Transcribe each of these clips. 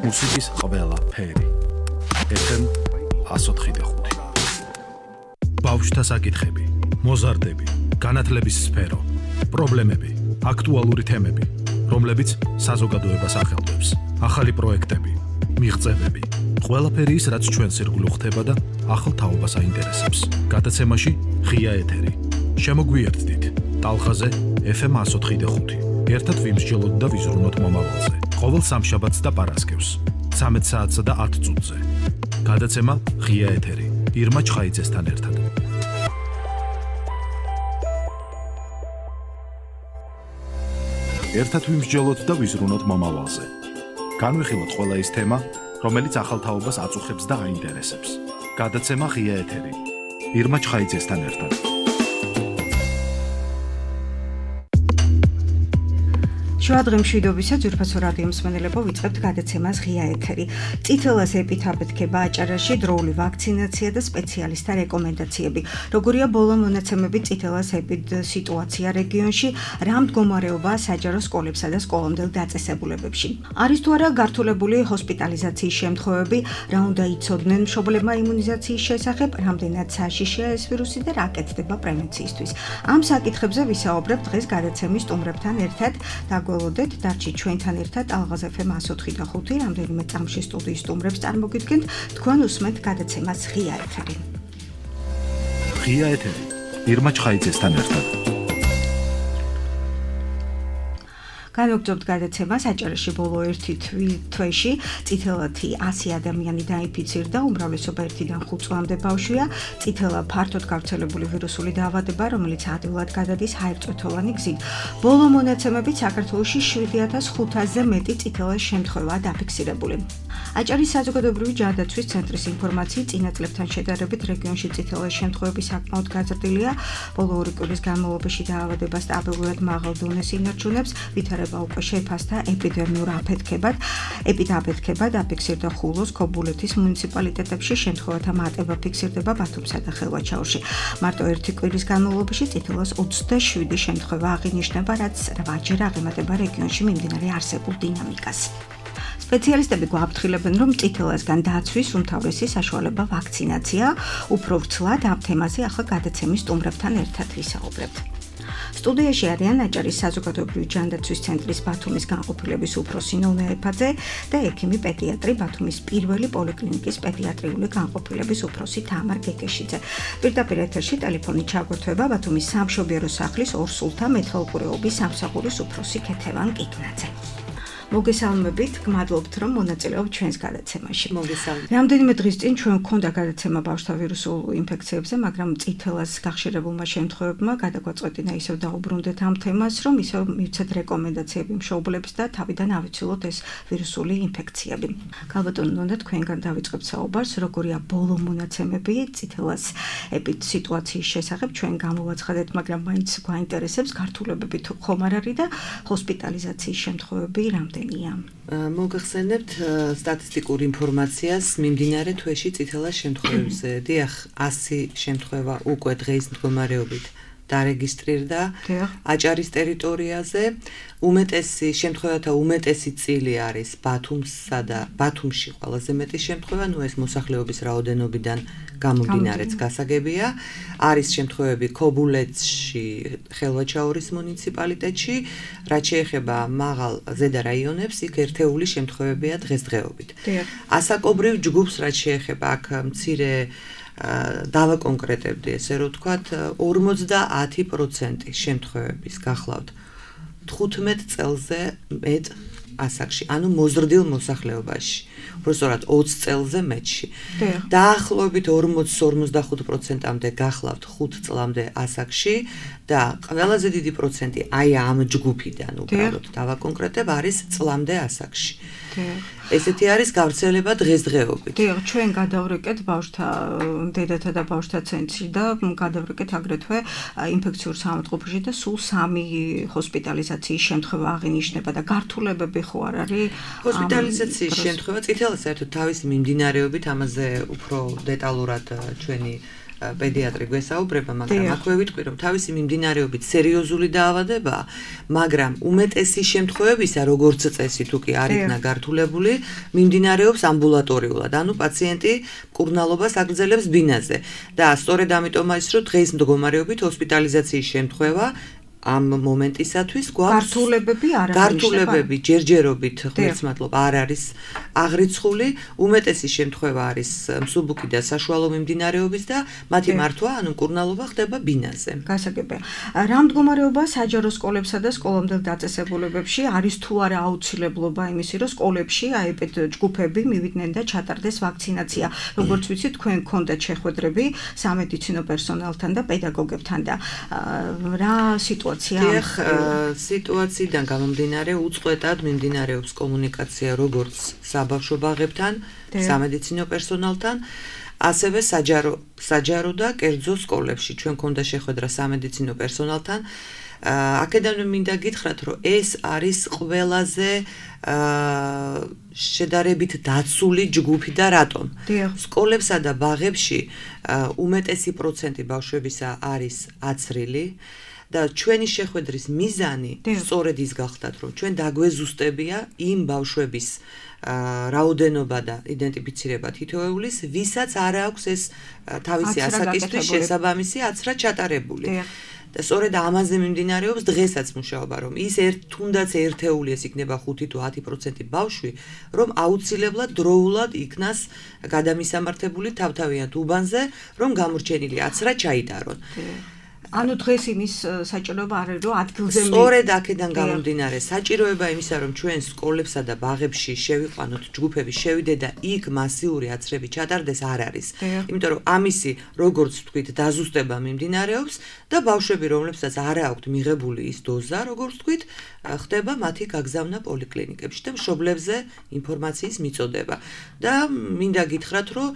მუსიკის ყველა ფერი. FM 104.5. ბავშვთა საკითხები, მოზარდები, განათლების სფერო, პრობლემები, აქტუალური თემები, რომლებიც საზოგადოებას ახელვებს, ახალი პროექტები, მიღწევები, ყველაფერი ის, რაც ჩვენს ირგვლივ ხდება და ახალ თაობას აინტერესებს. გადაცემაში ღია ეთერი. შემოგვიერთდით ტალღაზე FM 104.5. ერთად ვიმსჯელოთ და ვიზრუნოთ მომავალზე. ყოველ სამშაბათს და პარასკევს 13 საათსა და 10 წუთზე. გადაცემა ღია ეთერი. ირმა ჩხაიძესთან ერთად. ერთად ვიმსჯელოთ და ვიზრუნოთ მომავალზე. განვიხილოთ ყველა ის თემა, რომელიც ახალ თაობას აწუხებს და აინტერესებს. გადაცემა ღია ეთერი. ირმა ჩხაიძესთან ერთად. შუადღე მშვიდობისა ძვირფასო რადიო მსმენელებო, ვიწყებთ გადაცემას ღია ეთერი. წითელას ეპიდაფეთქება აჭარაში, დროული ვაქცინაცია და სპეციალისტთა რეკომენდაციები. როგორია ბოლო მონაცემები წითელას ეპიდსიტუაცია რეგიონში, რა მდგომარეობაა საჯარო სკოლებსა და სკოლამდელ დაწესებულებებში. არის თუ არა გართულებული ჰოსპიტალიზაციის შემთხვევები, რა უნდა იცოდნენ მშობლებმა იმუნიზაციის შესახებ, რამდენად საშიშია ეს ვირუსი და რა კეთდება პრევენციისთვის. ამ საკითხებზე ვისაუბრებთ დღეს გადაცემის სტუმრებთან ერთად. გველოდეთ, დარჩით ჩვენთან ერთად ტალღაზე FM 104.5, რამდენიმე წამში სტუდიის სტუმრებს წარმოგიდგენთ, თქვენ უსმენთ გადაცემას ღია ეთერი. ღია ეთერი. ირმა ჩხაიძესთან ერთად. განვაგრძობთ გადაცემას. აჭარაში ბოლო 1 თვეში წითელათი 100 ადამიანი დაინფიცირდა, უმრავლესობა 1-დან 5 წლამდე ბავშვია. წითელა ფართოდ გავრცელებული ვირუსული დაავადება, რომელიც ადვილად გადადის ჰაერწვეთოვანი გზით. ბოლო მონაცემებით საქართველოში 7500-ზე მეტი წითელას შემთხვევაა დაფიქსირებული. აჭარის საზოგადოებრივი ჯანდაცვის ცენტრის ინფორმაციით, წინა წლებთან შედარებით რეგიონში წითელას შემთხვევები საკმაოდ გაზრდილია. ბოლო 2 კვირის განმავლობაში დაავადება სტაბილურად მაღალ დონეს ინარჩუნებს, ვითარება უკვე შეფასდა ეპიდემიურ აფეთქებად. ეპიდაფეთქება დაფიქსირდა ხულოს, ქობულეთის მუნიციპალიტეტებში, შემთხვევათა მატება ფიქსირდება ბათუმსა და ხელვაჩაურში. მარტო 1 კვირის განმავლობაში წითელას 27 შემთხვევა აღინიშნება, რაც 8-ჯერ აღემატება რეგიონში მიმდინარე არსებულ დინამიკას. სპეციალისტები გვაფრთხილებენ, რომ წითელასგან დაცვის უმთავრესი საშუალება ვაქცინაცია. უფრო ვრცლად ამ თემაზე ახლა გადაცემის სტუმრებთან ერთად ვისაუბრებთ. სტუდიაში არიან აჭარის საზოგადოებრივი ჯანდაცვის ცენტრის ბათუმის განყოფილების უფროსი ნონა ეფაძე და ექიმი პედიატრი ბათუმის პირველი პოლიკლინიკის პედიატრიული განყოფილების უფროსი თამარ გეკეშიძე. პირდაპირ ეთერში ტელეფონით ჩაგვერთვება ბათუმის სამშობიარო სახლის ორსულთა მეთვალყურეობის სამსახურის უფროსი ქეთევან კიკნაძე. მოგესალმებით, გმადლობთ, რომ მონაწილეობთ ჩვენს გადაცემაში. მოგესალმებით. რამდენიმე დღის წინ ჩვენ გვქონდა გადაცემა ბავშვთა ვირუსულ ინფექციებზე, მაგრამ წითელას გახშირებულმა შემთხვევებმა გადაგვაწყვეტინა ისევ დაუბრუნდეთ ამ თემას, რომ ისევ მივცეთ რეკომენდაციები მშობლებს და თავიდან ავიცილოთ ეს ვირუსული ინფექციები. გალბატონო ნონა, თქვენგან დავიწყებთ საუბარს, როგორია ბოლო მონაცემები წითელას ეპიდსიტუაციის შესახებ, ჩვენ გამოვაცხადეთ, მაგრამ მაინც გვაინტერესებს გართულებები თუ ხომ არ არის და ჰოსპიტალიზაციის შემთხვევები მოგახსენებთ სტატისტიკურ ინფორმაციას მიმდინარე თვეში წითელას შემთხვევებზე. დიახ, 100 შემთხვევა უკვე დღეის მდგომარეობით დარეგისტრირდა აჭარის ტერიტორიაზე. უმეტესი შემთხვევათა უმეტესი წილი არის ბათუმსა და ბათუმში ყველაზე მეტი შემთხვევა, ეს მოსახლეობის რაოდენობიდან გამომდინარეც გასაგებია. არის შემთხვევები ქობულეთში, ხელვაჩაურის მუნიციპალიტეტში, რაც შეეხება მაღალ ზედა რაიონებს, იქ ერთეული შემთხვევებია დღესდღეობით. ასაკობრივ ჯგუფს, რაც შეეხება აქ მცირე დავაკონკრეტებდი, ესე რომ ვთქვათ, 50% შემთხვევების გახლავთ 15 წელზე მეტ ასაკში, ანუ მოზრდილ მოსახლეობაში, უბრალოდ 20 წელზე მეტში. დაახლოებით 40-45%-მდე გახლავთ 5 წლამდე ასაკში და ყველაზე დიდი პროცენტი აი ამ ჯგუფიდან უბრალოდ დავაკონკრეტებ არის წლამდე ასაკში. ესეთი არის გავრცელება დღესდღეობით. დიახ, ჩვენ გადავრეკეთ ბავშვთა დედათა და ბავშვთა ცენტრში და გადავრეკეთ აგრეთვე ინფექციურ სამართყოფში და სულ 3 ჰოსპიტალიზაციის შემთხვევა აღინიშნება და გართულებები ხო არ არის? ჰოსპიტალიზაციის შემთხვევა წითელას საერთოდ თავისი მიმდინარეობით ამაზე უფრო დეტალურად ჩვენი პედიატრი გვესაუბრება, მაგრამ აქვე ვიტყვი, რომ თავისი მიმდინარეობით სერიოზული დაავადებაა, მაგრამ უმეტესი შემთხვევებისა, როგორც წესი, თუ კი არ იქნა გართულებული, მიმდინარეობს ამბულატორიულად, ანუ პაციენტი მკურნალობას აგრძელებს ბინაზე. და სწორედ ამიტომ არის, რომ დღეს მდგომარეობით ჰოსპიტალიზაციის შემთხვევა ამ მომენტისათვის გვაქვს გართულებები ჯერჯერობით ღმერთმადლობა არ არის აღრიცხული, უმეტესი შემთხვევა არის მსუბუქი და საშუალო მიმდინარეობის და მათი მართვა, ანუ მკურნალობა ხდება ბინაზე. გასაგებია. რა მდგომარეობა საჯარო სკოლებსა და სკოლამდელ დაწესებულებებში არის თუ არა აუცილებლობა იმისი, რომ სკოლებში აებედ ჯგუფები მივიდნენ და ჩატარდეს ვაქცინაცია. როგორც ვიცით, თქვენ გქონდათ შეხვედრები სამედიცინო პერსონალთან და პედაგოგებთან და რა სიტუაციიდან გამომდინარე უწყვეტად მიმდინარეობს კომუნიკაცია როგორც საბავშვო ბაღებთან, სამედიცინო პერსონალთან, ასევე საჯარო და კერძო სკოლებში. ჩვენ გქონდა შეხვედრა სამედიცინო პერსონალთან. აქედან მინდა გითხრათ, რომ ეს არის ყველაზე შედარებით დაცული ჯგუფი და რატომ? სკოლებსა და ბაღებში უმეტესი პროცენტი ბავშვებისა არის აცრილი. და ჩვენი შეხვედრის მიზანი სწორედ ის გახდათ, რომ ჩვენ დაგვეზუსტებია იმ ბავშვების რაოდენობა და იდენტიფიცირება თითოეულის, ვისაც არ აქვს ეს თავისი ასაკისთვის შესაბამისი აცრა ჩატარებული. და სწორედ ამაზე მიმდინარეობს დღესაც მუშაობა, რომ ის თუნდაც ერთეული ეს იქნება 5 თუ 10% ბავშვი, რომ აუცილებლად დროულად იქნას გადამისამართებული თავთავიანთ უბანზე, რომ გამორჩენილი აცრა ჩაიტარონ. ანუ დღეს იმის საჭიროება არ არის, რომ ადგილზე სწორედ აქედან გამომდინარე საჭიროება იმისა, რომ ჩვენ სკოლებსა და ბაღებში შევიყვანოთ ჯგუფები, შევიდეთ და იქ მასიური აცრები ჩატარდეს არ არის. იმიტომ რომ ამისი, როგორც ვთქვით, დაზუსტება მიმდინარეობს და ბავშვები, რომლებსაც არ აქვთ მიღებული ის დოზა, როგორც ვთქვით, ხდება მათი გაგზავნა პოლიკლინიკებში და მშობლებზე ინფორმაციის მიწოდება. და მინდა გითხრათ, რომ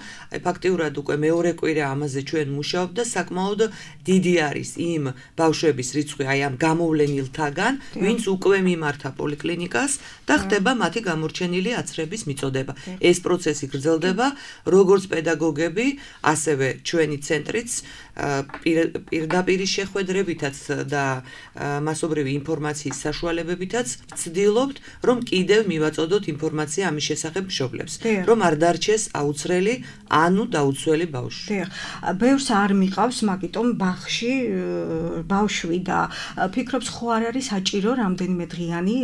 ფაქტიურად უკვე მეორე კვირა ამაზე ჩვენ მუშაობთ და საკმაოდ დიდი არის იმ ბავშვების რიცხვი აი ამ გამოვლენილთაგან, ვინც უკვე მიმართა პოლიკლინიკას და ხდება მათი გამორჩენილი აცრების მიწოდება. ეს პროცესი გრძელდება, როგორც პედაგოგები, ასევე ჩვენი ცენტრიც პირდაპირი შეხვედრებითაც და მასობრივი ინფორმაციის საშუალებებითაც ვცდილობთ, რომ კიდევ მივაწოდოთ ინფორმაცია ამის შესახებ მშობლებს, რომ არ დარჩეს აუცრელი, ანუ დაუცველი ბავშვი. ბევრს არ მიყავს, მაგიტომ ბაღში ბავშვი და ფიქრობს, ხო არ არის საჭირო რამდენიმე დღიანი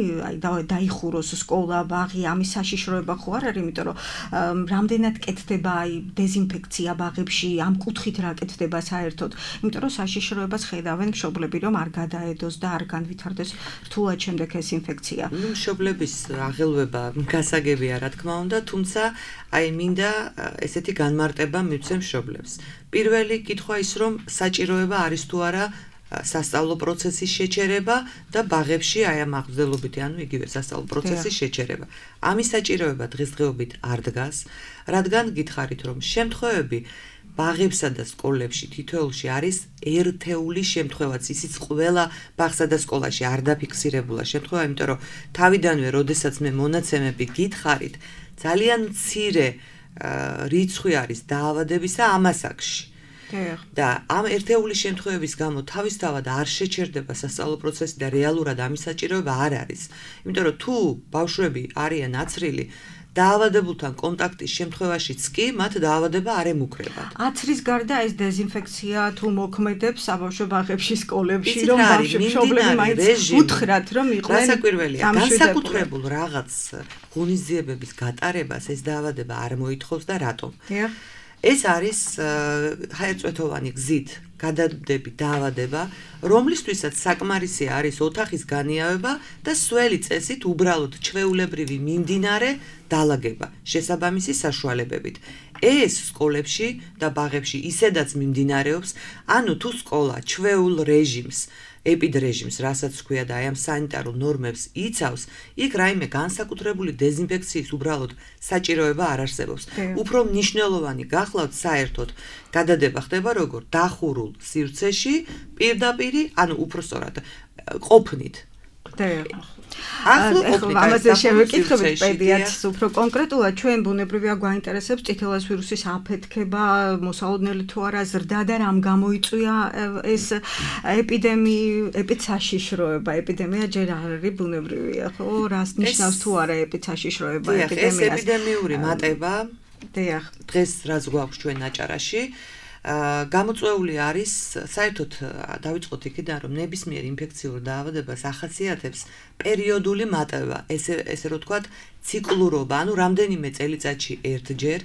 დაიხუროს სკოლა, ბაღი, ამის საშიშროება ხო არ არის, იმიტომ რომ რამდენად კეთდება დეზინფექცია ბაღებში, ამ კუთხით რა კეთდება საერთოდ, იმიტომ რომ საშიშროებას ხედავენ მშობლები, რომ არ გადაედოს და არ განვითარდეს რთულად შემდეგ ეს ინფექცია. მშობლების აღელვება გასაგებია, რა თქმა უნდა, თუმცა აი მინდა ესეთი განმარტება მივცე მშობლებს. პირველი კითხვა ის, რომ საჭიროება არის თუ არა სასწავლო პროცესის შეჩერება და ბაღებში აი ამ აღრძელობითი, ანუ იგივე სასწავლო პროცესის შეჩერება. ამის საჭიროება დღესდღეობით არ დგას, რადგან გითხარით, რომ შემთხვევები ბაღებსა და სკოლებში თითოეულში არის ერთეული შემთხვევაც, ისიც ყველა ბაღსა და სკოლაში არ დაფიქსირებულა შემთხვევა, იმიტომ რომ თავიდანვე, როდესაც მე მონაცემები გითხარით, ძალიან მცირე რიცხვი არის დაავადებისა ამ ასაკში. და ამ ერთეული შემთხვევების გამო თავისთავად არ შეჩერდება სასწავლო პროცესი და რეალურად ამის საჭიროება არ არის. იმიტომ რომ თუ ბავშვები არიან აცრილი, დაავადებულთან კონტაქტის შემთხვევაშიც კი მათ დაავადება არ ემუქრებათ. აცრის გარდა ეს დეზინფექცია თუ მოქმედებს საბავშვო ბაღებში, სკოლებში, რომ მშობლები მაინც უთხრათ, რომ იყვნენ გასაკვირველია, განსაკუთრებულ რაღაც ღონისძიებების გატარებას ეს დაავადება არ მოითხოვს და რატომ? ეს არის ჰაერწვეთოვანი გზით გადადები დაავადება, რომლისთვისაც საკმარისი არის ოთახის განიავება და სველი წესით უბრალოდ ჩვეულებრივი მიმდინარე დალაგება შესაბამისი საშუალებებით. ეს სკოლებში და ბაღებში ისედაც მიმდინარეობს, ანუ თუ სკოლა ჩვეულ რეჟიმს ეპიდრეჟიმს, რასაც ქვია და აი ამ სანიტარულ ნორმებს იცავს, იქ რაიმე განსაკუთრებული დეზინფექციის უბრალოდ საჭიროება არ არსებობს. უფრო მნიშვნელოვანი გახლავთ საერთოდ გადადება ხდება როგორ დახურულ სივრცეში, პირდაპირი, ანუ უფრო სწორად ყოფნით. ამაზე შევეკითხებით პედიატრს უფრო კონკრეტულად ჩვენ ბუნებრივია გვაინტერესებს წითელას ვირუსის აფეთქება, მოსალოდნელი თუ არა ზრდა და რამ გამოიწვია ეს ეპიდემია ჯერ არ არის ბუნებრივია, ხო? რას ნიშნავს თუ არა ეპიდემია? ეს ეპიდემიური მატება დღეს რაც გვაქვს ჩვენ აჭარაში გამოწვეული არის საერთოდ დავიწყოთ იქიდან რომ ნებისმიერ ინფექციურ დაავადებას ახასიათებს პერიოდული მატება ესე რომ ვთქვათ ციკლურობა ანუ რამდენიმე წელიწადში ერთჯერ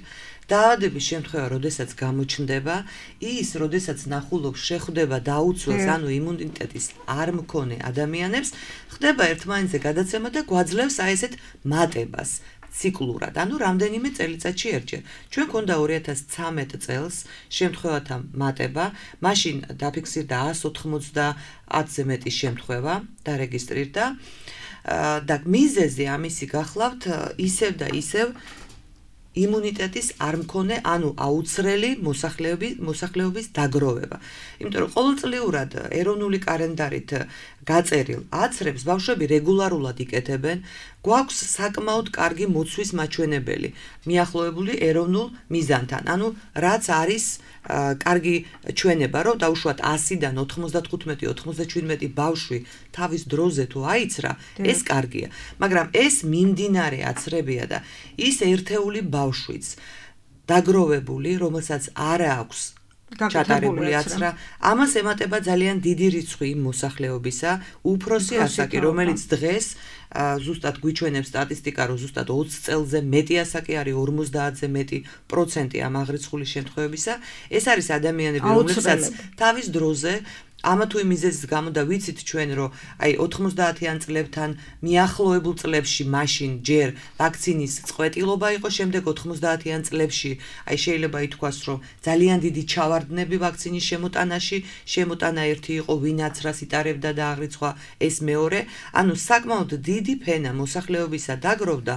დაავადების შემთხვევა როდესაც გამოჩნდება ის როდესაც ნახულობს შეხვდება დაუცველს ანუ იმუნიტეტის არ მქონე ადამიანებს ხდება ერთმანეთზე გადაცემა და გვაძლევს აი ესეთ მატებას ციკლურად, ანუ რამდენიმე წელიწადში ერთჯერ. ჩვენ გვქონდა 2013 წელს შემთხვევათა მატება, მაშინ დაფიქსირდა 190-ზე მეტი შემთხვევა დარეგისტრირდა და მიზეზი ამისი გახლავთ ისევ და ისევ იმუნიტეტის არ მქონე, ანუ აუცრელი მოსახლეობის დაგროვება. იმიტომ რომ ყოველწლიურად ეროვნული კალენდარით გაწერილ აცრებს ბავშვები რეგულარულად იკეთებენ, გვაქვს საკმაოდ კარგი მოცვის მაჩვენებელი, მიახლოებული ეროვნულ მიზანთან. ანუ რაც არის კარგი ჩვენება, რომ დაუშვათ 100-დან 95-97 ბავშვი თავის დროზე თუ აიცრა, ეს კარგია. მაგრამ ეს მიმდინარე აცრებია და ის ერთეული ბავშვიც დაგროვებული, რომელსაც არ აქვს ჩატარებული აცრა, ამას ემატება ძალიან დიდი რიცხვი იმ მოსახლეობისა, უფროსი ასაკი, რომელიც დღეს ზუსტად გვიჩვენებს სტატისტიკა, რომ ზუსტად 20 წელზე მეტი ასაკი არის 50-ზე მეტი პროცენტი ამ აღრიცხული შემთხვევებისა. ეს არის ადამიანები, რომლებსაც თავის დროზე ამა თუ იმ მიზეზის გამო და ვიცით ჩვენ რომ აი 90-იან წლებთან მიახლოებულ წლებში მაშინ ჯერ ვაქცინის წყვეტილობა იყო, შემდეგ 90-იან წლებში აი შეიძლება ითქვას რომ ძალიან დიდი ჩავარდნები ვაქცინის შემოტანაში, შემოტანა ერთი იყო ვინაც რას იტარებდა და აღრიცხვა ეს მეორე, ანუ საკმაოდ დიდი ფენა მოსახლეობისა დაგროვდა,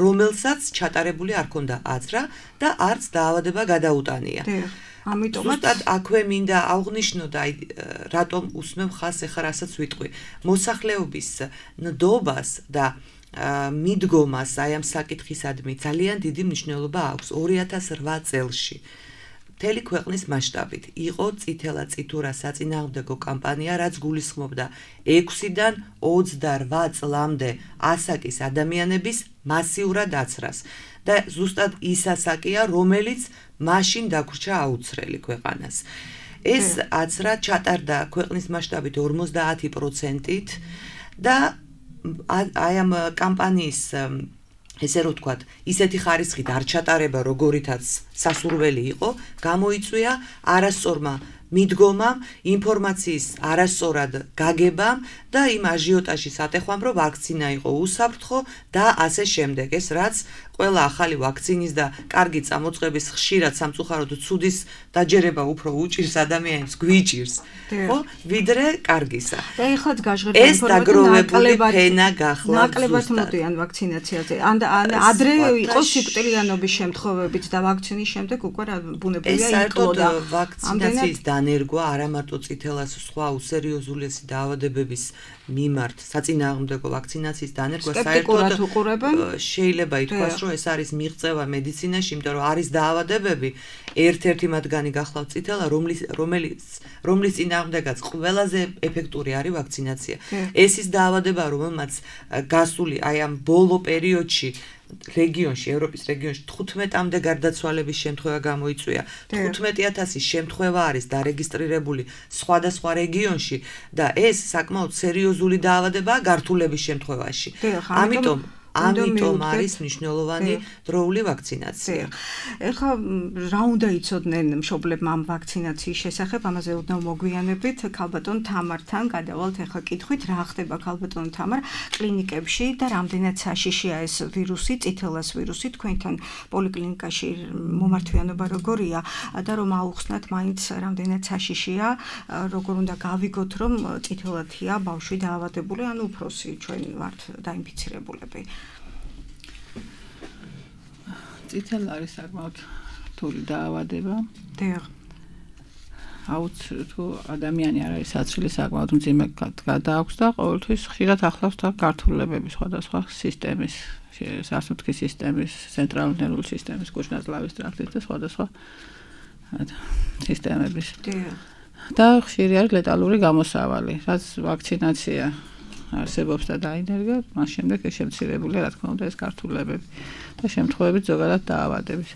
რომელსაც ჩატარებული არ ქონდა აცრა და არც დაავადება გადაუტანია. ამიტომაც აქვე მინდა აღვნიშნო და რატომ უსმევ ხას ახლა რასაც ვიტყვი მოსახლეობის ნდობას და მიდგომას აი ამ საკითხისადმი ძალიან დიდი მნიშვნელობა აქვს 2008 წელში მთელი ქვეყნის მასშტაბით იყო წითელა წითურა საწინააღმდეგო კამპანია რაც გულისხმობდა 6-დან 28 წლამდე ასაკის ადამიანების მასიურად აცრას და ზუსტად ის ასაკია რომელიც მაშინ დაგვრჩა აუცრელი ქვეყანას. ეს აცრა ჩატარდა ქვეყნის მასშტაბით 50%-ით და აი ამ კამპანიის ესე რომ ვთქვათ, ისეთი ხარისხით არ ჩატარება, როგორითაც სასურველი იყო, გამოიწვია არასწორმა მიდგომამ, ინფორმაციის არასწორად გაგებამ და იმ აჟიოტაჟის ატეხვამ, რომ ვაქცინა იყო უსაფრთხო და ასე შემდეგ. ეს რაც ყველა ახალი ვაქცინის და კარგი წამოწყების ხშირად სამწუხაროდ ცუდის დაჯერება უფრო უჭირს ადამიანებს, გვიჭირს, ხო? ვიდრე კარგისა. ეხლაც გაჟღერდა დაგროვებული ფენა გახლავთ. ნაკლებად მოდიან ვაქცინაციაზე. ან ადრე იყო სიკვდილიანობის შემთხვევებიც და ვაქცინის შემდეგ უკვე ბუნებრივია იკლოდა. ეს ვაქცინაციის დანერგვა არა მარტო წითელას სხვა უსერიოზულესი დაავადებების მიმართ საწინააღმდეგო ვაქცინაციის დანერგვა საერთოდ შეიძლება ითქვას, რომ ეს არის მიღწევა მედიცინაში, იმიტომ რომ არის დაავადებები, ერთ-ერთი მათგანი გახლავთ წითელა, რომლის წინააღმდეგაც ყველაზე ეფექტური არის ვაქცინაცია. ეს ის დაავადება, რომელმაც გასული აი ამ ბოლო პერიოდში რეგიონში, ევროპის რეგიონში 15-მდე გარდაცვალების შემთხვევა გამოიწვია. 15,000 შემთხვევა არის დარეგისტრირებული სხვადასხვა რეგიონში და ეს საკმაოდ სერიოზული დაავადებაა გართულების შემთხვევაში. ამიტომ არის მნიშვნელოვანი დროული ვაქცინაცია. ეხლა რა უნდა იცოდნენ მშობლებმა ამ ვაქცინაციის შესახებ, ამაზე ოდნავ მოგვიანებით ქალბატონ თამართან გადავალთ ეხლა კითხვით, რა ხდება ქალბატონ თამარ კლინიკებში და რამდენად საშიშია ეს ვირუსი, წითელას ვირუსი, თქვენთან პოლიკლინიკაში მომართვიანობა როგორია და რომ აუხსნათ მაინც რამდენად საშიშია, როგორ უნდა გავიგოთ, რომ წითელათია ბავშვი დაავადებული, ან უფროსი ჩვენ ვართ დაინფიცირებულები. წითელი არის საკმაოდ რთული დაავადება. თუ ადამიანი არ არის საცილი საკმაოდ მძიმე გადააქვს და ყოველთვის ხშირად ახლავს თან გართულებები სხვადასხვა სისტემის, სასუნთქის სისტემის, ცენტრალური ნერვული სისტემის, კუჭ-ნაწლავის ტრაქტის და სხვადასხვა სისტემების. და ხშირი არის ლეტალური გამოსავალი, რაც ვაქცინაცია არსებობს და დაინერგა, მას შემდეგ ეს შემცირებულია, რა თქმა უნდა, ეს გართულებები და შემთხვევებით ზოგადად დაავადების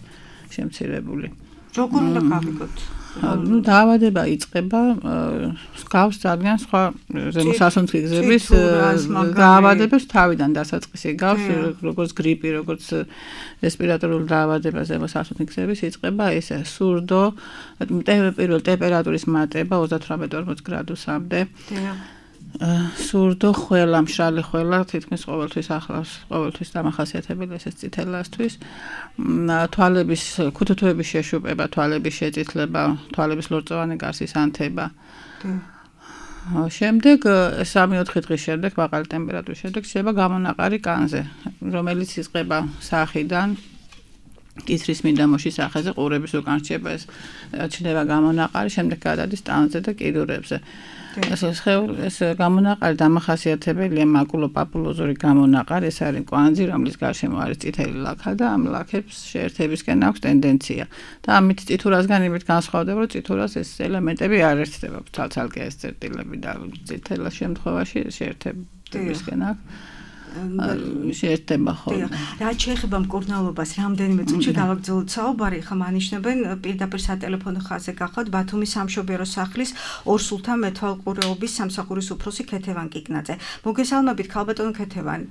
შემცირებული. როგორ უნდა გავიგოთ? დაავადება იწყება გავს ძალიან სხვა ზემოსასუნთქი გზების დაავადებას თავიდან დასაწყისი გავს, როგორც გრიპი, როგორც რესპირატორული დაავადება ზემოსასუნთქი გზების იწყება ესე სურდო, პირველ ტემპერატურის მატება 38-40 გრადუსამდე. სურდო, ხველა, მშრალი ხველა, თითქმის ყოველთვის ახლავს, ყოველთვის დამახასიათებელი ეს წითელასთვის. თვალების, ქუთუთოების შეშუპება, თვალების შეწითლება, თვალების ლორწოვანი გარსის ანთება. შემდეგ 3-4 დღის შემდეგ, მაღალი ტემპერატურის შემდეგ შეიძლება გამონაყარი კანზე, რომელიც იწყება სახიდან კისრის მინდამოში სახეზე, ყურების უკან რჩება ეს ჩნდება გამონაყარი, შემდეგ გადადის ტანზე და კიდურებზე. ეს გამონაყარი დამახასიათებელია მაკულოპაპულოზური გამონაყარი, ეს არის კვანძი, რომლის გარშემო არის წითელი ლაქა და ამ ლაქებს შეერთებისკენ აქვს ტენდენცია. და ამით წითურასგან იმით განსხვავდება, რომ წითურას ეს ელემენტები არ ერთდება, ცალ-ცალკე ეს წერტილები და წითელას შემთხვევაში შეერთებისკენ აქვს. შეერთება ხოლმე. რაც შეეხება მკურნალობას, რამდენიმე წუთში გავაგრძელოთ საუბარი, ხა მანიშნებენ პირდაპირ სატელეფონო ხაზზე გახავთ ბათუმის სამშობიარო სახლის ორსულთა მეთვალყურეობის სამსახურის უფროსი ქეთევან კიკნაძე. მოგესალმებით, ქალბატონო ქეთევან.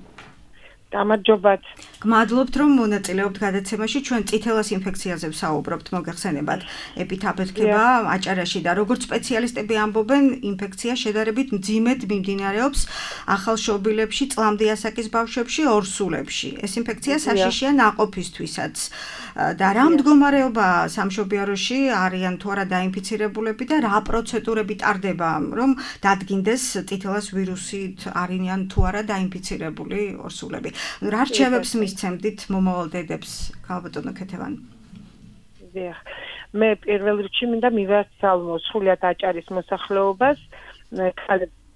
გამარჯობათ. გმადლობთ, რომ მონაწილეობთ გადაცემაში. ჩვენ წითელას ინფექციაზე ვსაუბრობთ, მოგეხსენებათ. ეპითაფეთქება აჭარაში და როგორც სპეციალისტები ამბობენ, ინფექცია შედარებით მძიმედ მიმდინარეობს ახალშობილებში, წლამდე ასაკის ბავშვებში, ორსულებში. ეს ინფექცია საშიშია ნაყოფისთვისაც. და რა მდგომარეობა სამშობიაროში არიან თუ არა დაინფიცირებულები და რა პროცედურები ტარდება, რომ დადგინდეს წითელას ვირუსით არიან თუ არა დაინფიცირებული ორსულები. რა რჩევებს მისცემდით მომავალ დედებს, ქალბატონო ქეთევან? მე პირველ რიგში მინდა მივასალმო სრულიად აჭარის მოსახლეობას,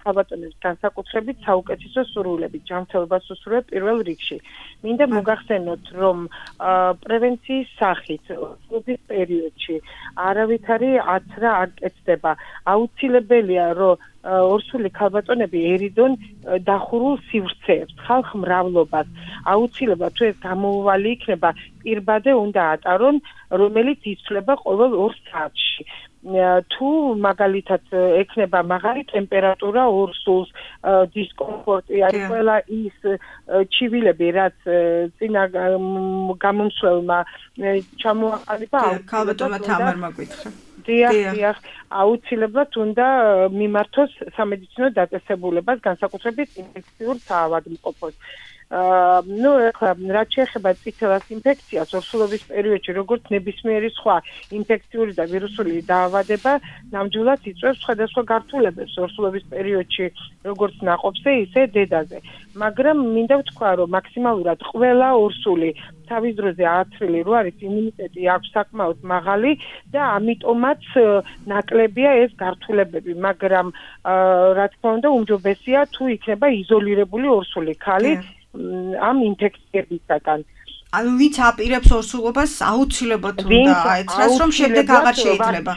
ქალბატონებს განსაკუთრებით საუკეთესო სურვილებით, ჯანმრთელობას უსურვებ პირველ რიგში. მინდა მოგახსენოთ, რომ პრევენციის სახით ოსტობის პერიოდში არავითარი აცრა არ კეთდება. აუცილებელია, რომ ორსული ქალბატონები ერიდონ დახურულ სივრცეებს, ხალხ მრავლობას. აუცილებლად თუ ეს გამოუვალი იქნება, პირბადე უნდა ატარონ, რომელიც იცვლება ყოველ 2 საათში. თუ მაგალითად ექნება მაღალი ტემპერატურა ორსულს, დისკომფორტი, აი ყველა ის ჩივილები, რაც წინა გამომსვლელმა ჩამოაყალიბა, ქალბატონმა თამარმა გითხრა. დიახ, აუცილებლად უნდა მიმართოს სამედიცინო დაწესებულებას, განსაკუთრებით ინფექციურ საავადმყოფოს. რაც შეეხება წითელას ინფექციას ორსულობის პერიოდში, როგორც ნებისმიერი სხვა ინფექციური და ვირუსული დაავადება, ნამდვილად იწვევს სხვადასხვა გართულებებს ორსულობის პერიოდში, როგორც ნაყოფზე, ისე დედაზე. მაგრამ მინდა ვთქვა, რომ მაქსიმალურად ყველა ორსული თავის დროზე აცრილი რო არის, იმუნიტეტი აქვს საკმაოდ მაღალი და ამიტომაც ნაკლებია ეს გართულებები, მაგრამ რა თქმა უნდა, უმჯობესია თუ იქნება იზოლირებული ორსული ქალი ამ ინფექციებისაგან. ანუ ვინც აპირებს ორსულობას, აუცილებლად უნდა აეცრას, რომ შემდეგ აღარ შეიძლება.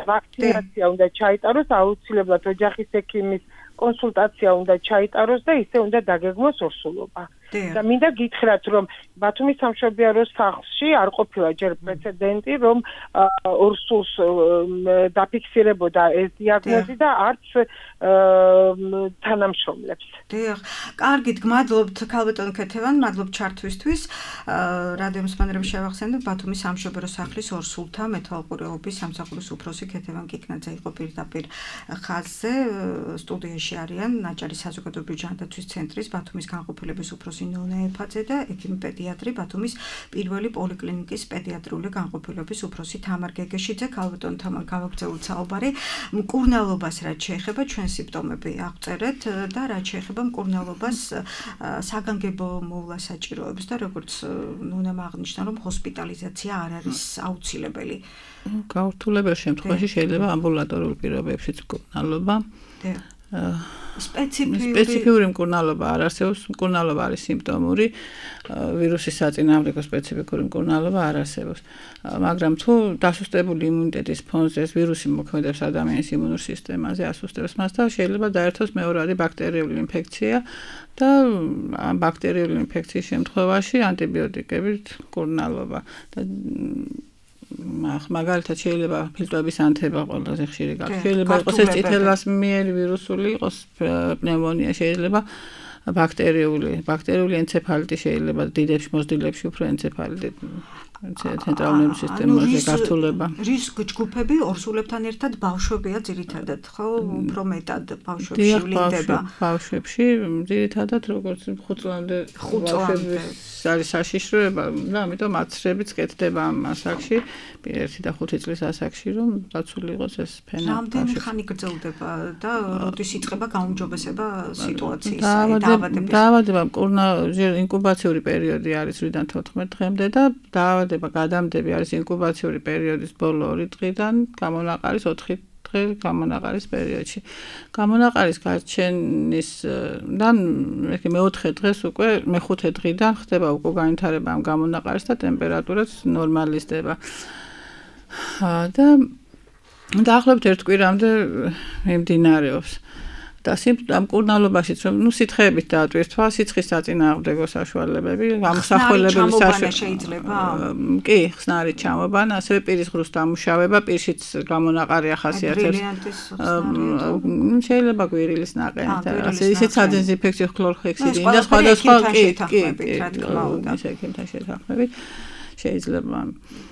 ვაქცინაცია უნდა ჩაიტაროს, აუცილებლად ოჯახის ექიმის კონსულტაცია უნდა ჩაიტაროს და ისე უნდა დაგეგმოს ორსულობა. და მინდა გითხრათ, რომ ბათუმის სამშობიარო სახლში არ ყოფილა ჯერ პრეცედენტი, რომ ორსულს დაფიქსირებოდა ეს დიაგნოზი და არც თანამშრომლებს. დიახ, კარგით, გმადლობთ ქალბატონ ქეთევან, მადლობთ ჩართვისთვის. რადიო მსმენელებს შევახსენებ, ბათუმის სამშობიარო სახლის ორსულთა მეთვალყურეობის სამსახურის უფროსი ქეთევან კიკნაძე იყო პირდაპირ ხაზზე. სტუდიაში არიან აჭარის საზოგადოებრივი ჯანდაცვის ცენტრის ბათუმის განყოფილების უფროსი დოქტორი ნონა ეფაძე და ექიმი პედიატრი ბათუმის პირველი პოლიკლინიკის პედიატრიული განყოფილების უფროსი თამარ გეგეშიძე. ქალბატონ თამარ, გავაგრძელოთ საუბარი. მკურნალობას რაც შეეხება ჩვენ სიმპტომები აღწერეთ და რაც შეეხება მკურნალობას საგანგებო მოვლა საჭიროებს და როგორც ნონამ აღნიშნა რომ ჰოსპიტალიზაცია არ არის აუცილებელი. გაურთულებელ შემთხვევაში შეიძლება ამბულატორიულ პირობებშიც მკურნალობა. სპეციფიური მკურნალობა არ არსებობს, მკურნალობა არის სიმპტომური, ვირუსის საწინააღმდეგო სპეციფიკური მკურნალობა არ არსებობს. მაგრამ თუ დასუსტებული იმუნიტეტის ფონზე ეს ვირუსი მოქმედებს ადამიანის იმუნურ სისტემაზე, ასუსტებს მას და შეიძლება დაერთოს მეორადი ბაქტერიული ინფექცია და ამ ბაქტერიული ინფექციის შემთხვევაში ანტიბიოტიკებით მკურნალობა. მაგალითად შეიძლება ფილტვების ანთება ყველაზე ხშირი გაქცევა. შეიძლება იყოს ეს წითელვასმიერი ვირუსული, იყოს პნევმონია, შეიძლება ბაქტერიული ენცეფალიტი, შეიძლება დიდებში მოსდილებში უფრო ენცეფალიტი ცენტრალური ნერვული სისტემაზე გართულება. რის ჯგუფები ორსულებთან ერთად ბავშვებია ძირითადად, ხო? უფრო მეტად ბავშვებში ვლინდება. ბავშვებში ძირითადად როგორც 5 წლამდე არის საშიშროება და ამიტომ 10 წლებიც კეთდება ამ ასაკში, 1 და 5 წლის ასაკში, რომ დაცული იყოს ეს ფენა. რამდენი ხანი გრძელდება და როდის იწყება გაუმჯობესება სიტუაციის დაავადება ინკუბაციური პერიოდი არის 8-დან 14 დღემდე და დაავადება გადამდები არის ინკუბაციური პერიოდის ბოლო 2 დღიდან გამონაყარის 4 დღე გამონაყარის პერიოდში. გამონაყარის გარჩენისგან მე-4 დღეს უკვე მე-5 დღიდან ხდება უკვე განვითარება ამ გამონაყარის და ტემპერატურაც ნორმალიზდება. და დაახლოებით 1 კვირამდე მიმდინარეობს. და მკურნალობაშიც რომ სითხეებით დაატვირთვა სიცხის საწინააღმდეგო საშუალებები, გამოსახველებელი შეიძლება. კი, ხსნარით ჩამობანა, ასევე პირის ღრუს დამუშავება, პირშიც გამონაყარი ახასიათებს. შეიძლება გვირილის ნაყენით, ისეთ სადეზინფექციო ქლორჰექსიდი და სხვადასხვა ისე ექიმთან შეთანხმებით. შეიძლება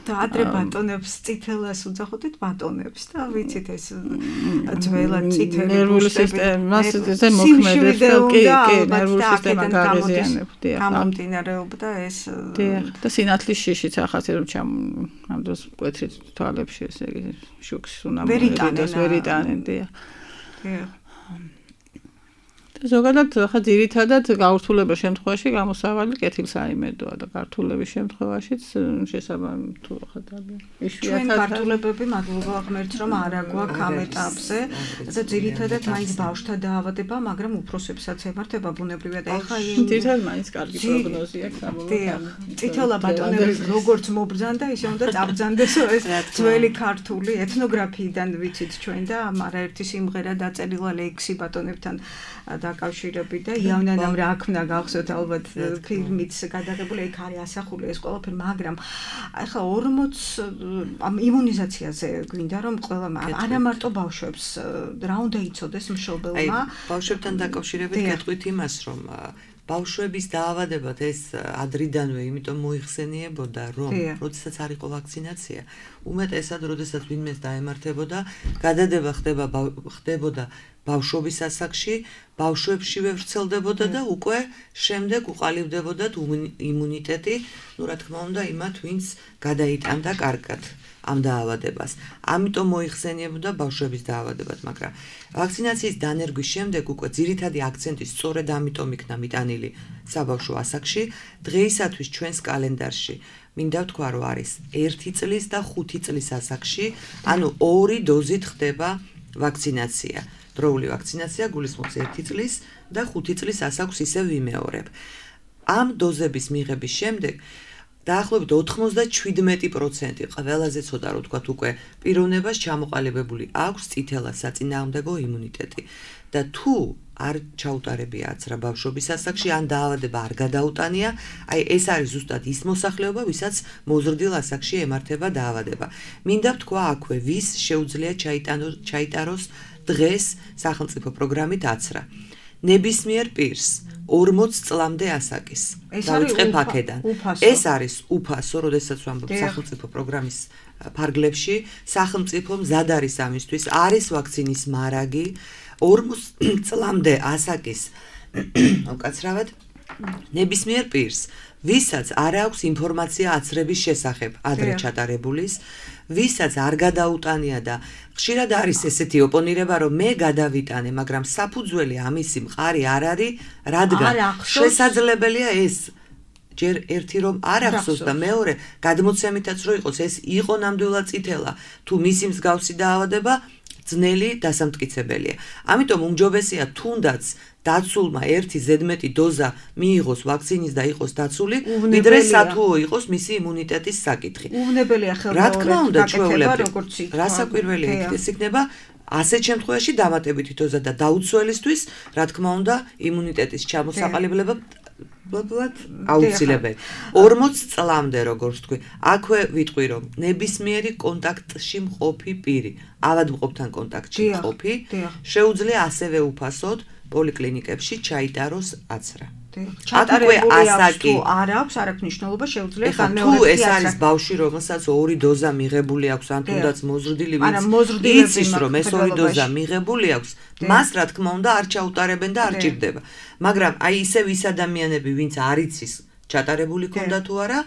და ადრე ბატონებს წითელას უძახოდით ბატონებს და ვიცით ეს ძველად წითელი ნერვული სისტემას ზე მოქმედებს კი ნერვული სისტემა გაღიზიანებდა გამომდინარეობდა ეს და სინათლის შიშიც ახაც რომ ამ დროს მკვეთრით თვალებში ესე იგი შუქს უნდა მოედოს ვერიტანენ დია ზოგადად ხა ძირითადად გაურთულებელ შემთხვევაში გამოსავალი კეთილსაიმედოა და გართულების შემთხვევაშიც შესაბამი თუ ხა ჩვენ გართულებები მადლობა ღმერთს რომ არა გვაქვს ამ ეტაპზე და ძირითადად მაინც ბავშვთა დაავადება მაგრამ უფროსებსაც ემართება ბუნებრივად ეხა ძირითადად მაინც კარგი პროგნოზია საბოლოოდ წითელა ბატონები როგორც მობრძანდა ისე უნდა წაბრძანდესო ეს ძველი ქართული ეთნოგრაფიიდან ვიცით ჩვენ და არაერთი სიმღერა დაწერილა ლექსი ბატონებთან დაკავშირებით და იავნანამ რა აქვს გახსოვთ ალბათ ფილმიც გადაღებული იქ არის ასახული ეს ყველაფერი მაგრამ ახლა 40 ამ იმუნიზაციაზე გვინდა რომ ყველა არა მარტო ბავშვებს რა უნდა იცოდეს მშობელმა ბავშვებთან დაკავშირებით გეტყვით იმას რომ ბავშვების დაავადებად ეს ადრიდანვე იმიტომ მოიხსენიებოდა რომ როდესაც არ იყო ვაქცინაცია უმეტესად როდესაც ვინმეს დაემართებოდა გადადება ხდებოდა ბავშვობის ასაკში ბავშვებშივე ვრცელდებოდა და უკვე შემდეგ უყალიბდებოდათ იმუნიტეტი ну რა თქმა უნდა იმათ ვინც გადაიტანდა კარგად ამ დაავადებას ამიტომ მოიხსენიებოდა ბავშვების დაავადებად მაგრამ ვაქცინაციის დანერგვის შემდეგ უკვე ძირითადი აქცენტი სწორედ ამიტომ იქნა მიტანილი საბავშვო ასაკში დღეისათვის ჩვენს კალენდარში მინდა ვთქვა რომ არის 1 წლის და 5 წლის ასაკში ანუ 2 დოზით ხდება ვაქცინაცია დროული ვაქცინაცია გულისხმობს 1 წლის და 5 წლის ასაკს ისევ ვიმეორებ. ამ დოზების მიღების შემდეგ დაახლოებით 97% ყველაზე ცოტა რო თქვათ უკვე პიროვნებას ჩამოყალიბებული აქვს წითელა საწინააღმდეგო იმუნიტეტი. და თუ არ ჩაუტარებიათ რა ბავშვობის ასაკში ან დაავადება არ გადაუტანია, აი ეს არის ზუსტად ის მოსახლეობა, ვისაც მოზრდილ ასაკში ემართება დაავადება. მინდა ვთქვა აქვე, ვის შეუძლია ჩაიტაროს დღეს სახელმწიფო პროგრამით აცრა. ნებისმიერ პირს 40 წლამდე ასაკის. დავიწყებ აქედან. ეს არის უფასო, როდესაც ვამბობ სახელმწიფო პროგრამის ფარგლებში, სახელმწიფო მზად არის ამისთვის, არის ვაქცინის მარაგი 40 წლამდე ასაკის უკაცრავად ნებისმიერ პირს, ვისაც არ აქვს ინფორმაცია აცრების შესახებ ადრე ჩატარებულის, ვისაც არ გადაუტანია და ხშირად არის ესეთი ოპონირება, რომ მე გადავიტანე, მაგრამ საფუძველი ამისი მყარი არ არის, რადგან შესაძლებელია ეს ჯერ ერთი რომ არ ახსოვს და მეორე გადმოცემითაც რო იყოს ეს იყო ნამდვილად წითელა, თუ მისი მსგავსი დაავადება ძნელი დასამტკიცებელია. ამიტომ უმჯობესია თუნდაც დაცულმა ერთი ზედმეტი დოზა მიიღოს ვაქცინის და იყოს დაცული, ვიდრე სათუო იყოს მისი იმუნიტეტის საკითხი. უვნებელია ხელმეორედ გაკეთება, რა საკვირველია ეს იქნება ასეთ შემთხვევაში დამატებითი დოზა და დაუცველისთვის, რა თქმა უნდა, იმუნიტეტის ჩამოსაყალიბება აუცილებელი. 40 წლამდე როგორც თქვი, აქვე ვიტყვი რომ ნებისმიერი კონტაქტში მყოფი პირი, ავადმყოფთან კონტაქტში მყოფი, შეუძლია ასევე უფასოდ პოლიკლინიკებში ჩაიტაროს აცრა. ჩატარებული აქვს თუ არ აქვს, არ აქვს მნიშვნელობა, შეუძლია განმეორებული თუ ეს არის ბავშვი, რომელსაც 2 დოზა მიღებული აქვს, ან თუნდაც მოზრდილი, ვინც იცის რომ ეს 2 დოზა მიღებული აქვს, მას რა თქმა უნდა არ ჩაუტარებენ და არ ჭირდება. მაგრამ აი ისევ ის ადამიანები, ვინც არ იცის ჩატარებული ქონდა თუ არა,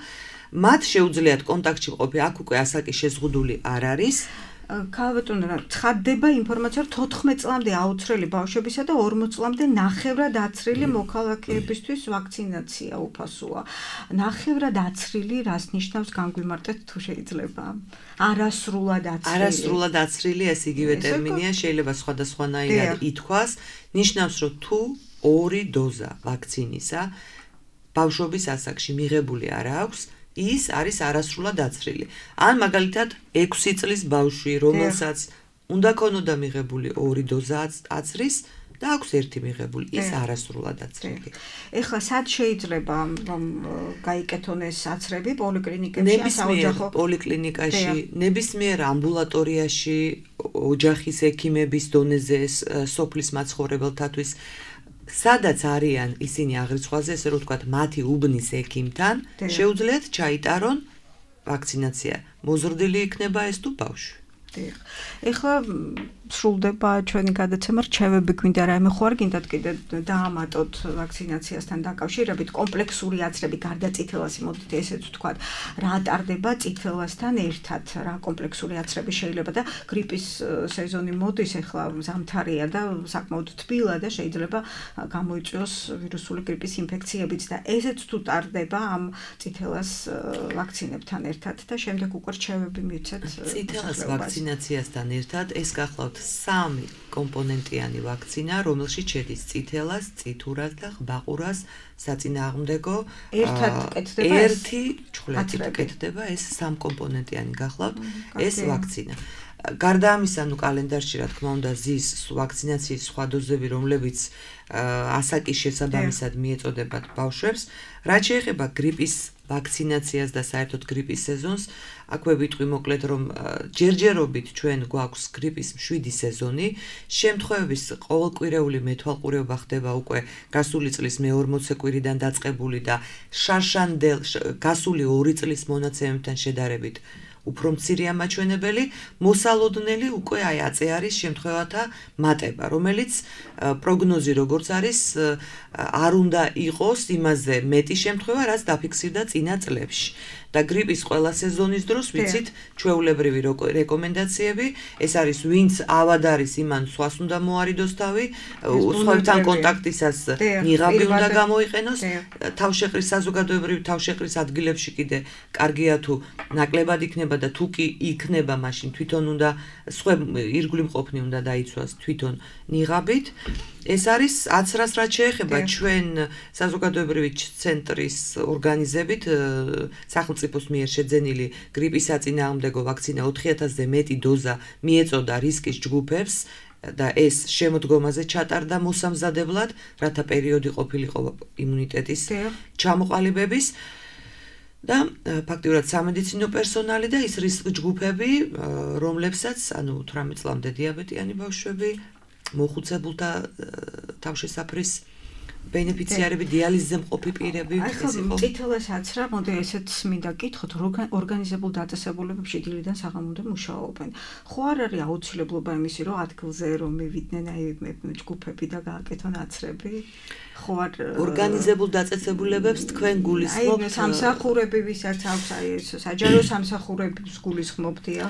მათ შეუძლიათ კონტაქტში მყოფი, აქ უკვე ასაკი შეზღუდული არ არის. ქალბატონო, ცხადდება ინფორმაცია, რომ 14 წლამდე აუცრელი ბავშვებისა და 40 წლამდე ნახევრად აცრილი მოქალაქეებისთვის ვაქცინაცია უფასოა. ნახევრად აცრილი რას ნიშნავს განგვიმარტეთ თუ შეიძლება? არასრულად აცრილი. არასრულად აცრილი ეს იგივე ტერმინია, შეიძლება სხვადასხვანაირად ითქვას, ნიშნავს რომ თუ 2 დოზა ვაქცინისა ბავშვობის ასაკში მიღებული არ აქვს, ის არის არასრულად აცრილი. ან მაგალითად 6 წლის ბავშვი, რომელსაც უნდა ქონოდა მიღებული 2 დოზა აცრის და აქვს 1 მიღებული, ის არასრულად აცრილი. ეხლა სად შეიძლება რომ გაიკეთონ ეს აცრები პოლიკლინიკებში, საოჯახო პოლიკლინიკაში, ნებისმიერ ამბულატორიაში, ოჯახის ექიმების დონეზე, სოფლის მაცხოვრებელთათვის სადაც არიან ისინი აღრიცხვაზე, ესე რომ ვთქვათ, მათი უბნის ექიმთან, შეუძლიათ ჩაიტარონ ვაქცინაცია. მოზრდილი იქნება ეს თუ ბავშვი. ეხლა სრულდება ჩვენი გადაცემა, რჩევები გვინდა რაიმე ხო არ გინდათ კიდე დაამატოთ ვაქცინაციასთან დაკავშირებით, კომპლექსური აცრები გარდა წითელას, მოდით ესეც ვთქვათ, რა ტარდება წითელასთან ერთად, რა კომპლექსური აცრები შეიძლება და გრიპის სეზონი მოდის, ეხლა ზამთარია და საკმაოდ თბილა და შეიძლება გამოიწვიოს ვირუსული გრიპის ინფექციებიც და ესეც თუ ტარდება ამ წითელას ვაქცინებთან ერთად და შემდეგ უკვე რჩევები მივცეთ წითელას ვაქცინაციასთან ერთად ეს გახლავთ 3 კომპონენტიანი ვაქცინა, რომელშიც შედის წითელას, წითურას და ღვთაყურას საწინააღმდეგო ერთი ჩხვლეტით კეთდება ეს 3 კომპონენტიანი გახლავთ ეს ვაქცინა. გარდა ამისა, კალენდარში რა თქმა უნდა ზის ვაქცინაციის სხვა დოზები, რომლებიც ასაკის შესაბამისად მიეწოდებათ ბავშვებს, რაც შეეხება გრიპის ვაქცინაციას და საერთოდ გრიპის სეზონს, აქვე ვიტყვი მოკლედ რომ ჯერჯერობით ჩვენ გვაქვს გრიპის 7 სეზონი, შემთხვევების ყოველკვირეული მეთვალყურეობა ხდება უკვე გასული წლის მე-40 კვირიდან დაწყებული და შარშანდელ გასული 2 წლის მონაცემებთან შედარებით უფრო მცირეა მაჩვენებელი, მოსალოდნელი უკვე აი აწე არის შემთხვევათა მატება, რომელიც პროგნოზი როგორც არის არ უნდა იყოს იმაზე მეტი შემთხვევა, რაც დაფიქსირდა წინა წლებში. და გრიპის ყველა სეზონის დროს ვიცით ჩვეულებრივი რეკომენდაციები, ეს არის ვინც ავად არის, იმან სხვას უნდა მოარიდოს თავი, სხვებთან კონტაქტისას ნიღაბი უნდა გამოიყენოს, თავშეყრის საზოგადოებრივი თავშეყრის ადგილებში კიდე კარგია თუ ნაკლებად იქნება და თუ კი იქნება, მაშინ თვითონ უნდა სხვებ ირგვლივ მყოფნი უნდა დაიცვას თვითონ ნიღაბით. ეს არის აცრას რაც შეეხება ჩვენ საზოგადოებრივი ცენტრის ორგანიზებით სახელმწიფოს მიერ შეძენილი გრიპის საწინააღმდეგო ვაქცინა 4000-ზე მეტი დოზა მიეწოდა რისკის ჯგუფებს და ეს შემოდგომაზე ჩატარდა მოსამზადებლად, რათა პერიოდი ყოფილიყო იმუნიტეტის ჩამოყალიბების და ფაქტიურად სამედიცინო პერსონალი და ის რისკ ჯგუფები, რომლებსაც, 18 წლამდე დიაბეტიანი ბავშვები, მოხუცებულთა თავშესაფრის ბენეფიციარები, დიალიზზე მყოფი პირები ეს იყო. წითელასაც რა, მოდი ესეც მინდა გითხოთ, ორგანიზებულ დაწესებულებებში დილიდან საღამომდე მუშაობენ. ხო არ არის აუცილებლობა იმისი, რომ ადგილზე რომ მივიდნენ აი ჯგუფები და გააკეთონ აცრები? ხო არ ორგანიზებულ დაწესებულებებს თქვენ გულისხმობთ? აი სამსახურები ვისაც აქვს აი ეს საჯარო სამსახურებს გულისხმობდია.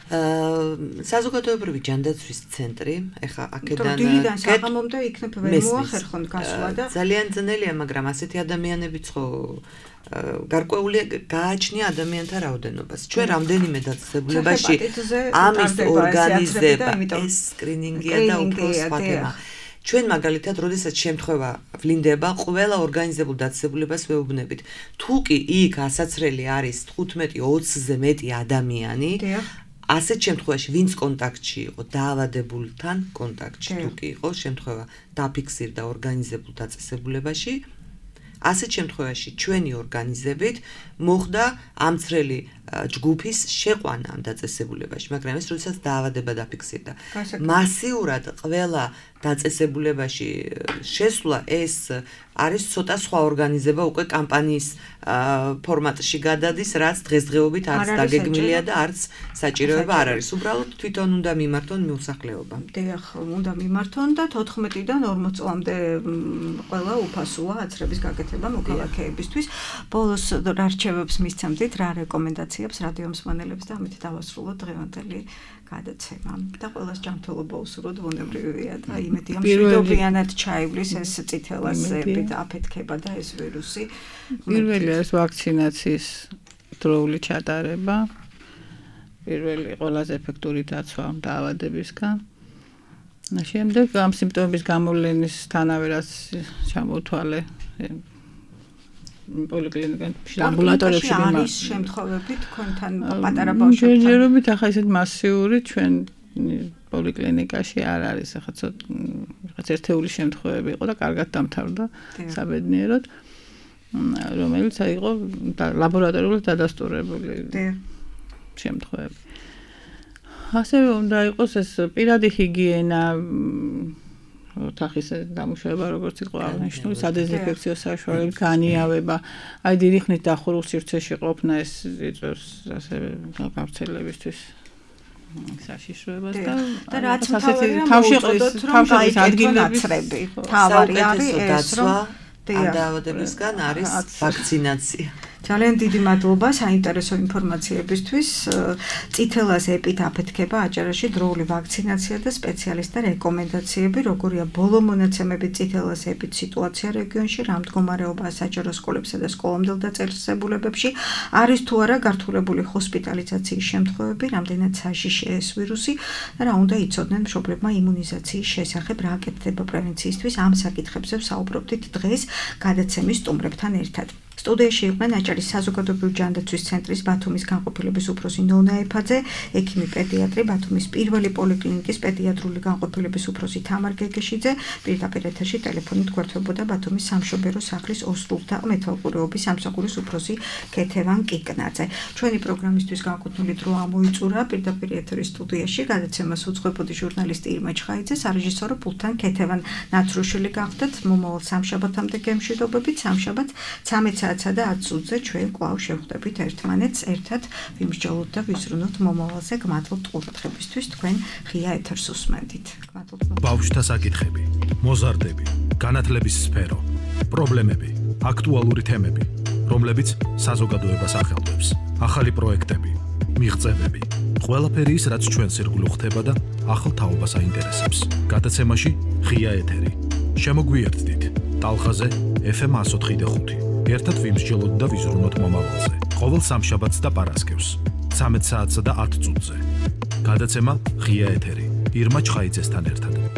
საზოგადოებრივი ჯანდაცვის ცენტრი, ეხა აქედან დილიდან საღამომდე იქნებ ვერ მოახერხონ გასვლა და ძალიან ძნელია, მაგრამ ასეთი ადამიანებიც ხო გარკვეული გააჩნია ადამიანთა რაოდენობას. ჩვენ რამდენიმე დაწესებულებაში ამის ორგანიზება, ეს სკრინინგია და უფრო სხვა თემა. ჩვენ მაგალითად, როდესაც შემთხვევა ვლინდება, ყველა ორგანიზებულ დაწესებულებას ვეუბნებით. თუ კი იქ ასაცრელი არის 15-20-ზე მეტი ადამიანი, ასეთ შემთხვევაში ვინც კონტაქტში იყო დაავადებულთან კონტაქტში თუ კი იყო შემთხვევა დაფიქსირდა ორგანიზებულ დაწესებულებაში ასეთ შემთხვევაში ჩვენი ორგანიზებით მოხდა ამცრელი ჯგუფის შეყვანა ამ დაწესებულებაში მაგრამ ეს როდესაც დაავადება დაფიქსირდა მასიურად ყველა დაწესებულებაში შესვლა ეს არის ცოტა სხვა ორგანიზება უკვე კამპანიის ფორმატში გადადის რაც დღესდღეობით არც დაგეგმილია და არც საჭიროება არ არის უბრალოდ თვითონ უნდა მიმართონ მოსახლეობა დიახ უნდა მიმართონ და 14-დან 40 წლამდე ყველა უფასოა აცრების გაკეთება მოქალაქეებისთვის ბოლოს რა რჩევებს მისცემთ რა რეკომენდაციებს რადიო მსმენელებს და ამით დავასრულოთ დღევანდელი გადაცემა და ყველას ჯანმრთელობა უსურვოთ ბუნებრივია და იმედია მშვიდობიანად ჩაივლის ეს წითელაზებით აფეთქება და ეს ვირუსი პირველი არის ვაქცინაციის დროული ჩატარება პირველი ყველაზე ეფექტური დაცვა დაავადებისგან შემდეგ ამ სიმპტომების გამოვლენისთანავე რაც ჩამოთვალე პოლიკლინიკაში ამბულატორებში არის შემთხვევები თქვენთან პატარა ბავშვებთან ჯერჯერობით ახლა ისეთ მასიური ჩვენ პოლიკლინიკაში არ არის ახლა ცოტა ერთეული შემთხვევები იყო და კარგად დამთავრდა საბედნიეროდ რომელიც იყო ლაბორატორიულად დადასტურებული შემთხვევები ასევე უნდა იყოს ეს პირადი ჰიგიენა ოთახის დამუშავება როგორც იყო აღნიშნული სადეზინფექციო საშუალებები განიავება აი დიდი ხნით დახურულ სივრცეში ყოფნა ეს იწვევს ასევე გავრცელებისთვის საშიშროებას და რაც თავში ადგილები თავარი არის ეს რომ დაავადებისგან არის ვაქცინაცია ძალიან დიდი მადლობა საინტერესო ინფორმაციებისთვის. წითელას ეპით აფეთქება აჭარაში დროული ვაქცინაცია და სპეციალისტთა რეკომენდაციები, როგორია ბოლო მონაცემები წითელას ეპით სიტუაცია რეგიონში, რა მდგომარეობაა საჯარო სკოლებსა და სკოლამდელ დაწესებულებებში, არის თუ არა გართულებული ჰოსპიტალიზაციის შემთხვევები, რამდენად საშიშია ეს ვირუსი და რა უნდა იცოდნენ მშობლებმა იმუნიზაციის შესახებ, რა აკეთდება პრევენციისთვის, ამ საკითხებზე ვსაუბრობდით დღეს გადაცემის სტუმრებთან ერთად. სტუდიაში იყვნენ აჭარის საზოგადოებრივი ჯანდაცვის ცენტრის ბათუმის განყოფილების უფროსი ნონა ეფაძე, ექიმი პედიატრი ბათუმის პირველი პოლიკლინიკის პედიატრიული განყოფილების უფროსი თამარ გეგეშიძე, პირდაპირ ეთერში ტელეფონით გვერდებოდა ბათუმის სამშობერო სახლის ოსტულთა მეთვალყურეობის სამსახურის უფროსი ქეთევან კიკნაძე. ჩვენი პროგრამისთვის განკუთვნილი დრო ამოიწურა პირდაპირ ეთერის სტუდიაში გადაცემას უძღვებოდი ჟურნალისტი ირმა ჩხაიძე, სარეჟისორო პულტთან ქეთევან ნაცრუშვილი გახდათ. მომავალ სამშაბათამდე გემშვიდობებით, სამშაბათს 13 საათსა და 10 წუთზე ჩვენ კვლავ შევხვდებით ერთმანეთს ერთად ვიმსჯელოთ და ვიზრუნოთ მომავალზე. გმადლობთ ყურადღებისთვის, თქვენ ღია ეთერს უსმენთ. გმადლობთ. ბავშვთა საკითხები, მოზარდები, განათლების სფერო, პრობლემები, აქტუალური თემები, რომლებიც საზოგადოებას ახელვებს. ახალი პროექტები, მიღწევები, ყველაფერი ის, რაც ჩვენს ირგვლივ ხდება და ახალ თაობას აინტერესებს. გადაცემაში ღია ეთერი. შემოგვიერთდით ტალღაზე FM 104.5. ერთად ვიმსჯელოთ და ვიზრუნოთ მომავალზე. ყოველ სამშაბათს და პარასკევს 13 საათსა და 10 წუთზე. გადაცემა ღია ეთერი ირმა ჩხაიძესთან ერთად.